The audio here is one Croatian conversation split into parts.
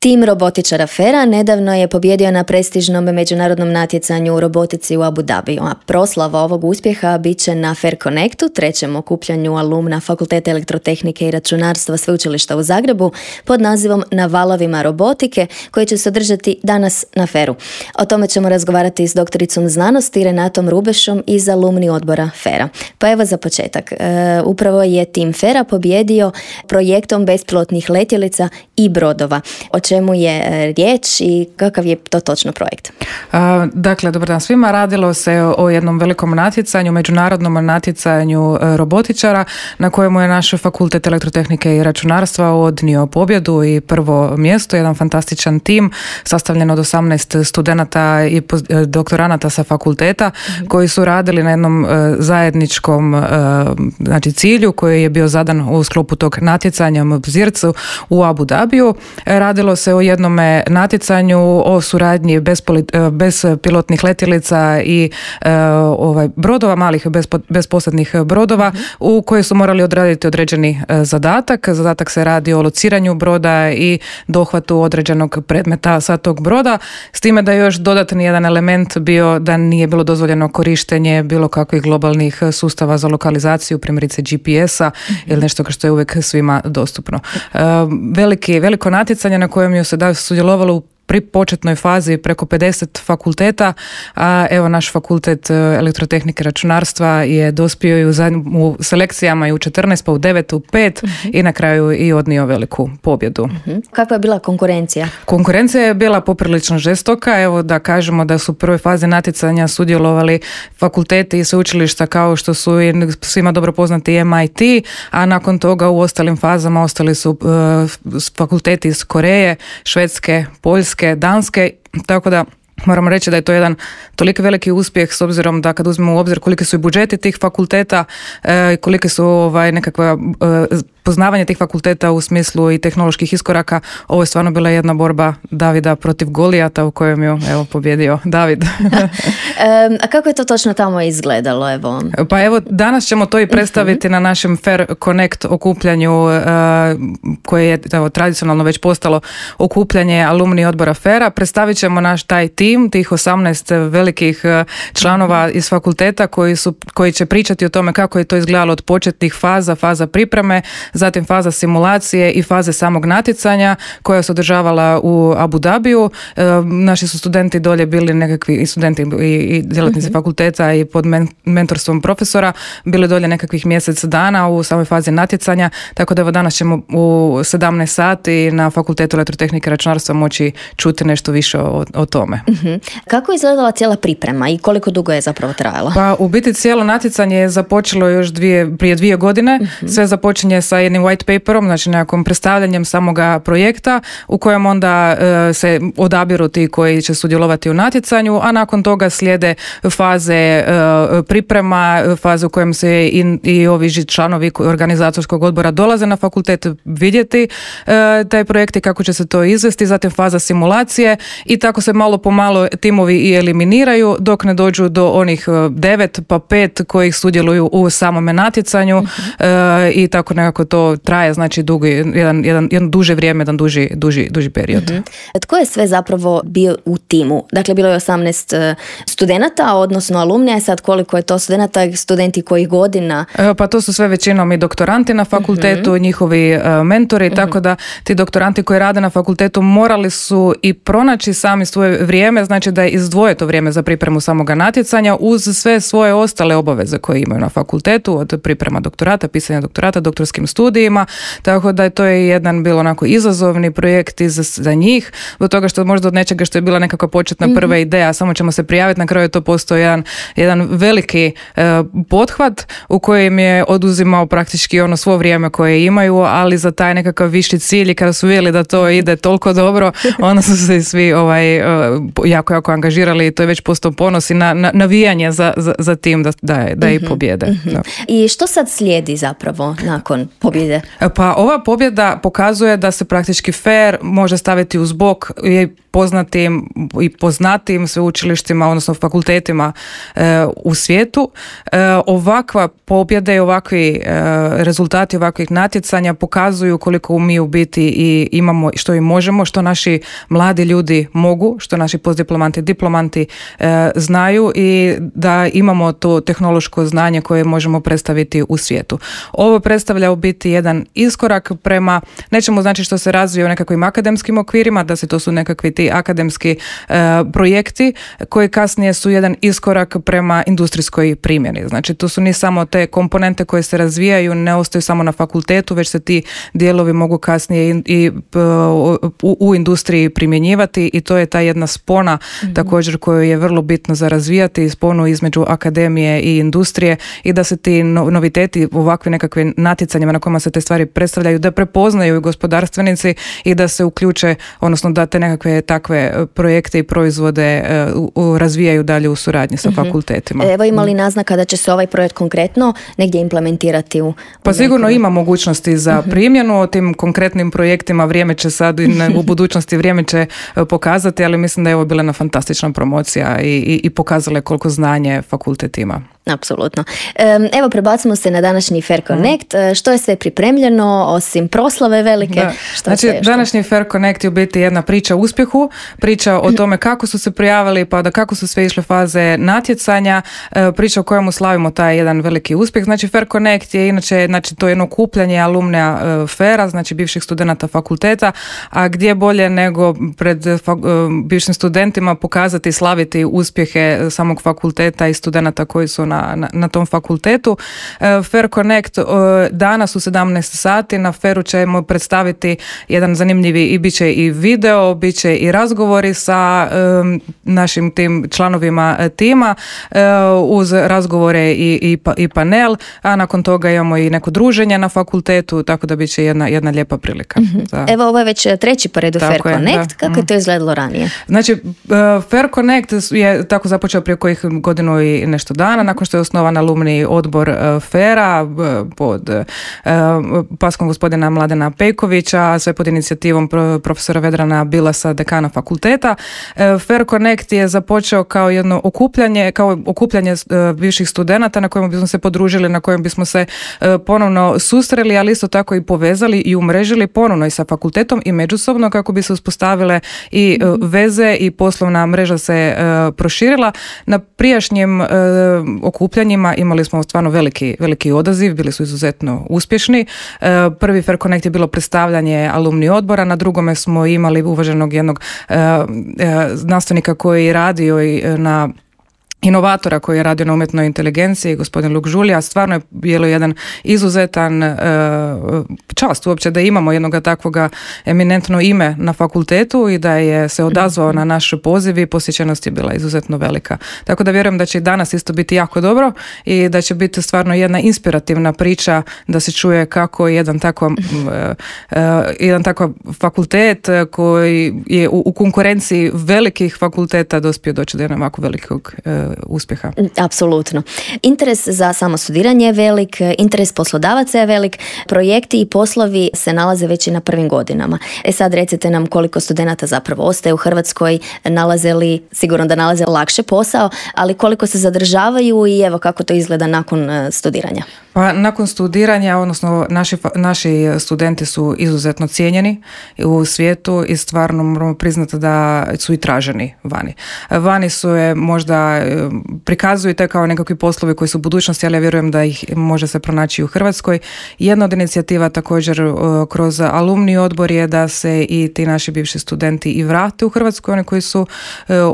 Tim robotičara FER-a nedavno je pobjedio na prestižnom međunarodnom natjecanju u robotici u Abu Dhabiju, a proslava ovog uspjeha bit će na FER Connectu, trećem okupljanju alumna Fakulteta elektrotehnike i računarstva Sveučilišta u Zagrebu pod nazivom Na valovima robotike, koji će se održati danas na FER-u. O tome ćemo razgovarati s doktoricom znanosti Renatom Rubešom iz alumni odbora FER-a. Pa evo za početak. Upravo je tim FER-a pobjedio projektom bespilotnih letjelica i brodova. O čemu je riječ i kakav je to točno projekt? Dakle, dobar dan svima. Radilo se o jednom velikom natjecanju, međunarodnom natjecanju robotičara na kojemu je naš Fakultet elektrotehnike i računarstva odnio pobjedu i prvo mjesto. Jedan fantastičan tim sastavljen od 18 studenata i doktoranata sa fakulteta koji su radili na jednom zajedničkom cilju koji je bio zadan u sklopu tog natjecanja Zircu u Abu Dhabiju. Radilo se o jednome natjecanju o suradnji bespilotnih letjelica i brodova, malih bezposadnih brodova u koje su morali odraditi određeni zadatak. Zadatak se radi o lociranju broda i dohvatu određenog predmeta sa tog broda, s time da je još dodatni jedan element bio da nije bilo dozvoljeno korištenje bilo kakvih globalnih sustava za lokalizaciju, primjerice GPS-a ili nešto što je uvijek svima dostupno. Veliko natjecanje na kojem je se sudjelovalo pri početnoj fazi preko 50 fakulteta, a evo naš Fakultet elektrotehnike i računarstva je dospio i u selekcijama i u 14, pa u 9, u 5 i na kraju i odnio veliku pobjedu. Kakva je bila konkurencija? Konkurencija je bila poprilično žestoka. Evo da kažemo da su u prvoj fazi natjecanja sudjelovali fakulteti i sveučilišta kao što su i svima dobro poznati MIT, a nakon toga u ostalim fazama ostali su fakulteti iz Koreje, Švedske, Poljske, Danske, tako da moramo reći da je to jedan toliko veliki uspjeh s obzirom da kad uzmemo u obzir koliki su i budžeti tih fakulteta i kolike su nekakva poznavanje tih fakulteta u smislu i tehnoloških iskoraka. Ovo je stvarno bila jedna borba Davida protiv Golijata u kojem je pobjedio David. A kako je to točno tamo izgledalo? Evo? Pa evo, danas ćemo to i predstaviti na našem FER Connect okupljanju koje je tradicionalno već postalo okupljanje alumni odbora FER-a. Predstavit ćemo naš taj tim, tih 18 velikih članova iz fakulteta koji će pričati o tome kako je to izgledalo od početnih faza pripreme, zatim faza simulacije i faze samog natjecanja koja se održavala u Abu Dhabiju. Naši su studenti dolje bili nekakvi studenti i djelatnici fakulteta i pod mentorstvom profesora bili dolje nekakvih mjesec dana u samoj fazi natjecanja, tako da evo danas ćemo u 17 sati na Fakultetu elektrotehnike i računarstva moći čuti nešto više o tome. Kako je izgledala cijela priprema i koliko dugo je zapravo trajalo? Pa u biti cijelo natjecanje je započelo još prije 2 godine. Sve započinje sa jednim white paperom, znači nekakvom predstavljanjem samoga projekta u kojem onda se odabiru ti koji će sudjelovati u natjecanju, a nakon toga slijede faze priprema, faze u kojem se i ovi članovi organizatorskog odbora dolaze na fakultet vidjeti taj projekt i kako će se to izvesti, zatim faza simulacije i tako se malo po malo timovi i eliminiraju dok ne dođu do onih 9 pa 5 koji sudjeluju u samome natjecanju i tako nekako to traje, znači jedan duže vrijeme, jedan duži period. Tko je sve zapravo bio u timu? Dakle, bilo je 18 studenata, odnosno alumnija, sad koliko je to studenata, studenti kojih godina? Pa to su sve većinom i doktoranti na fakultetu, njihovi mentori, tako da ti doktoranti koji rade na fakultetu morali su i pronaći sami svoje vrijeme, znači da izdvoje to vrijeme za pripremu samoga natjecanja uz sve svoje ostale obaveze koje imaju na fakultetu, od priprema doktorata, pisanja doktorata, doktorskim studijima, tako da je to jedan bilo onako izazovni projekt za njih, do toga što možda od nečega što je bila nekakva početna prva ideja, samo ćemo se prijaviti, na kraju je to postao jedan veliki pothvat u kojem je oduzimao praktički svo vrijeme koje imaju, ali za taj nekakav viši cilj i kada su vidjeli da to ide toliko dobro, onda su se svi jako angažirali i to je već postao ponos i navijanje za tim da i pobjede. I što sad slijedi zapravo nakon pobjede? Pa ova pobjeda pokazuje da se praktički FER može staviti uz bok i poznatim i poznatim sveučilištima, odnosno fakultetima u svijetu. Ovakva pobjeda i ovakvi rezultati ovakvih natjecanja pokazuju koliko mi u biti i imamo, što i možemo, što naši mladi ljudi mogu, što naši postdiplomanti, diplomanti znaju i da imamo to tehnološko znanje koje možemo predstaviti u svijetu. Ovo predstavlja u biti jedan iskorak prema nečemu, znači što se razvije u nekakvim akademskim okvirima, da se to su nekakvi ti akademski projekti koji kasnije su jedan iskorak prema industrijskoj primjeni. Znači tu su ni samo te komponente koje se razvijaju, ne ostaju samo na fakultetu, već se ti dijelovi mogu kasnije i u industriji primjenjivati i to je ta jedna spona također koju je vrlo bitno za razvijati, sponu između akademije i industrije i da se ti noviteti u ovakvim nekakvim natjecanjima na kojima se te stvari predstavljaju, da prepoznaju i gospodarstvenici i da se uključe, odnosno da te nekakve takve projekte i proizvode razvijaju dalje u suradnji sa fakultetima. Evo, ima li naznaka da će se ovaj projekt konkretno negdje implementirati Pa sigurno ima mogućnosti za primjenu. O tim konkretnim projektima vrijeme će sad u budućnosti vrijeme će pokazati, ali mislim da je ovo bila jedna fantastična promocija i pokazala koliko znanje fakultet ima. Apsolutno. Evo, prebacimo se na današnji Fair Connect. Što je sve pripremljeno, osim proslave velike? Znači, današnji Fair Connect je u biti jedna priča o uspjehu, priča o tome kako su se prijavili, pa da kako su sve išle faze natjecanja, priča o kojemu slavimo taj jedan veliki uspjeh. Znači, Fair Connect je inače, znači, to je jedno okupljanje alumnija Faira, znači bivših studenata fakulteta, a gdje bolje nego pred bivšim studentima pokazati i slaviti uspjehe samog fakulteta i studenata koji su na tom fakultetu. Fair Connect danas u 17 sati na Fairu ćemo predstaviti jedan zanimljivi i bit će i video, bit će i razgovori sa našim tim članovima tima uz razgovore i panel, a nakon toga imamo i neko druženje na fakultetu, tako da bit će jedna lijepa prilika. Evo, ovo je već treći po redu Fair Connect. Kako je to izgledalo ranije? Znači, Fair Connect je tako započeo prije kojih godinu i nešto dana, nakon što je osnovan alumni odbor Faira pod paskom gospodina Mladena Pejkovića, sve pod inicijativom profesora Vedrana Bilasa, dekana fakulteta. Fair Connect je započeo kao jedno okupljanje bivših studenata na kojem bismo se podružili, na kojem bismo se ponovno susreli, ali isto tako i povezali i umrežili ponovno i sa fakultetom i međusobno kako bi se uspostavile i veze i poslovna mreža se proširila. Na prijašnjim okupljanjima imali smo stvarno veliki odaziv, bili su izuzetno uspješni. Prvi Fair Connect je bilo predstavljanje alumni odbora, na drugome smo imali uvaženog jednog znanstvenika koji je radio na inovatora koji je radio na umjetnoj inteligenciji, gospodin Luk Žulja. Stvarno je bilo jedan izuzetan čast uopće da imamo jednog takvoga eminentno ime na fakultetu i da je se odazvao na naš poziv i posjećenost je bila izuzetno velika. Tako da vjerujem da će i danas isto biti jako dobro i da će biti stvarno jedna inspirativna priča da se čuje kako jedan takav fakultet koji je u konkurenciji velikih fakulteta dospio doći do jednog ovako velikog uspjeha. Apsolutno. Interes za samo studiranje je velik, interes poslodavaca je velik, projekti i poslovi se nalaze već i na prvim godinama. Sad recite nam koliko studenata zapravo ostaje u Hrvatskoj, sigurno da nalaze lakše posao, ali koliko se zadržavaju i evo kako to izgleda nakon studiranja. Pa nakon studiranja, odnosno naši studenti su izuzetno cijenjeni u svijetu i stvarno moramo priznati da su i traženi vani. Vani su je možda prikazuju te kao nekakvi poslovi koji su u budućnosti, ali ja vjerujem da ih može se pronaći u Hrvatskoj. Jedna od inicijativa također kroz alumni odbor je da se i ti naši bivši studenti i vrate u Hrvatsku, oni koji su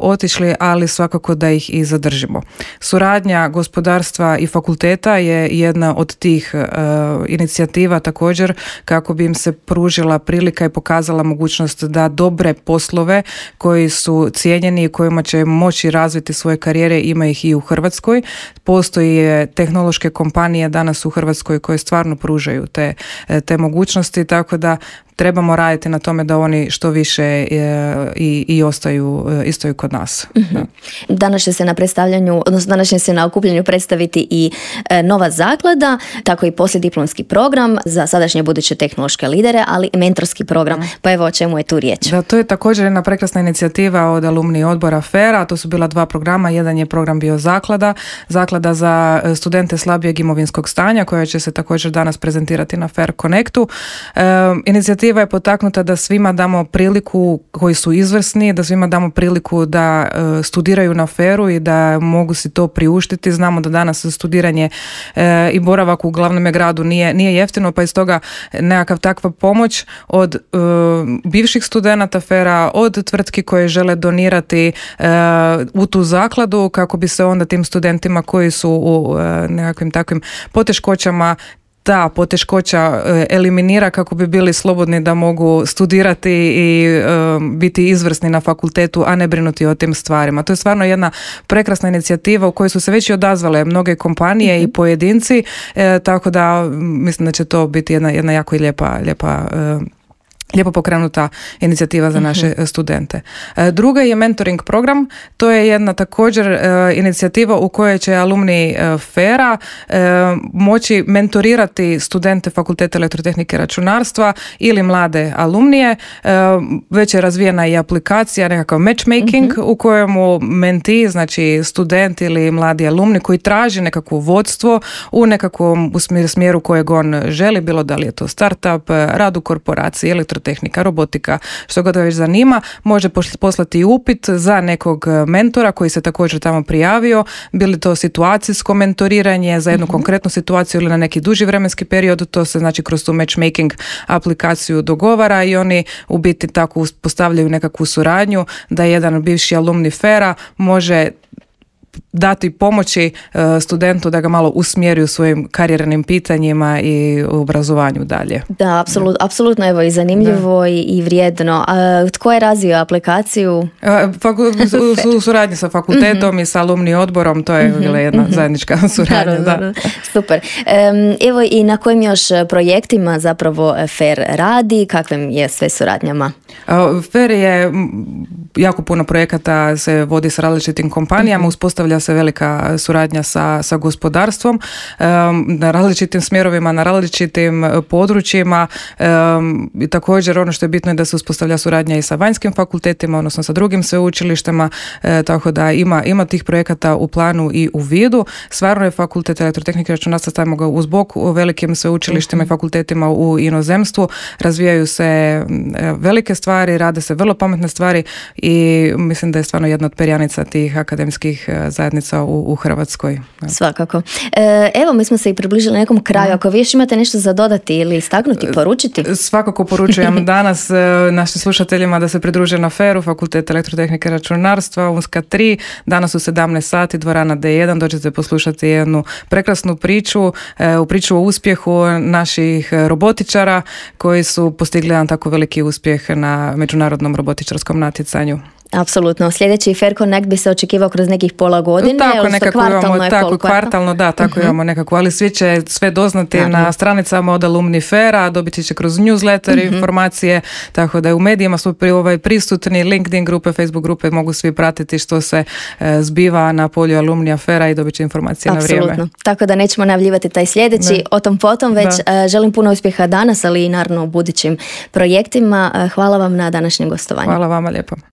otišli, ali svakako da ih i zadržimo. Suradnja gospodarstva i fakulteta je jedna od tih inicijativa također kako bi im se pružila prilika i pokazala mogućnost da dobre poslove koji su cijenjeni i kojima će moći razviti svoje karijere, ima ih i u Hrvatskoj. Postoje tehnološke kompanije danas u Hrvatskoj koje stvarno pružaju te mogućnosti, tako da trebamo raditi na tome da oni što više i ostaju kod nas. Danas će se na predstavljanju, odnosno danas će se na okupljanju predstaviti i nova zaklada, tako i poslijediplomski program za sadašnje buduće tehnološke lidere, ali i mentorski program. Pa evo o čemu je tu riječ. Da, to je također jedna prekrasna inicijativa od alumni odbora FER-a. To su bila 2 programa. Jedan je program bio zaklada za studente slabijeg imovinskog stanja, koja će se također danas prezentirati na FER Connectu. Inicijativa je potaknuta da svima damo priliku, koji su izvrsni, da svima damo priliku da studiraju na FER-u i da mogu si to priuštiti. Znamo da danas studiranje i boravak u glavnom gradu nije jeftino, pa iz toga nekakav takva pomoć od bivših studenata FER-a, od tvrtki koje žele donirati u tu zakladu, kako bi se onda tim studentima koji su u nekakvim takvim poteškoćama ta poteškoća eliminira, kako bi bili slobodni da mogu studirati i biti izvrsni na fakultetu, a ne brinuti o tim stvarima. To je stvarno jedna prekrasna inicijativa u kojoj su se već i odazvale mnoge kompanije i pojedinci, tako da mislim da će to biti jedna jako lijepo pokrenuta inicijativa za naše studente. Druga je mentoring program. To je jedna također inicijativa u kojoj će alumni FER-a moći mentorirati studente Fakulteta elektrotehnike i računarstva ili mlade alumnije. Već je razvijena i aplikacija, nekakav matchmaking u kojemu menti, znači student ili mladi alumni koji traži nekakvo vodstvo u nekakvom smjeru kojeg on želi, bilo da li je to startup, rad u korporaciji, elektrotehnika, robotika, što god ga već zanima, može poslati upit za nekog mentora koji se također tamo prijavio, bili to situacijsko mentoriranje za jednu konkretnu situaciju ili na neki duži vremenski period. To se znači kroz tu matchmaking aplikaciju dogovara i oni u biti tako uspostavljaju nekakvu suradnju da jedan bivši alumni FER-a može dati pomoći studentu da ga malo usmjeri u svojim karijernim pitanjima i u obrazovanju dalje. Da, apsolutno evo i zanimljivo i vrijedno. A tko je razvio aplikaciju? U suradnji sa fakultetom i sa alumni odborom, to je bila jedna zajednička suradnja. Da. Super. Evo i na kojim još projektima zapravo FER radi, kakvim je sve suradnjama? FER je jako puno projekata se vodi sa različitim kompanijama, uspostavlja se velika suradnja sa gospodarstvom na različitim smjerovima, na različitim područjima i također ono što je bitno je da se uspostavlja suradnja i sa vanjskim fakultetima, odnosno sa drugim sveučilištima, tako da ima tih projekata u planu i u vidu. Stvarno je Fakultet elektrotehnike i računarstva, stavimo ga uz bok u velikim sveučilištima i fakultetima u inozemstvu, razvijaju se velike stvari, rade se vrlo pametne stvari i mislim da je stvarno jedna od perjanica tih akademskih zajednica u Hrvatskoj. Svakako. Evo, mi smo se i približili nekom kraju. Ako vi još imate nešto za dodati ili istaknuti, poručiti? Svakako poručujem danas našim slušateljima da se pridruže na FER-u, Fakultet elektrotehnike i računarstva, Unska 3, danas u 17 sati, dvorana D1, dođete poslušati jednu prekrasnu priču o uspjehu naših robotičara koji su postigli jedan tako veliki uspjeh na međunarodnom robotičarskom natjecanju. Apsolutno. Sljedeći FER Connect bi se očekivao kroz nekih pola godine. Tako nekako imamo, kvartalno, da, tako imamo nekako, ali svi će sve doznati na stranicama od alumni FER-a, dobiti će kroz newsletter informacije, tako da je u medijima su prisutni, LinkedIn grupe, Facebook grupe, mogu svi pratiti što se zbiva na polju alumnija FER-a i dobit će informacije na vrijeme. Apsolutno. Tako da nećemo najavljivati taj sljedeći, o tom potom, već želim puno uspjeha danas, ali i naravno u budućim projektima. Hvala vam na današnjem gostovanju. Hvala vama lijepo.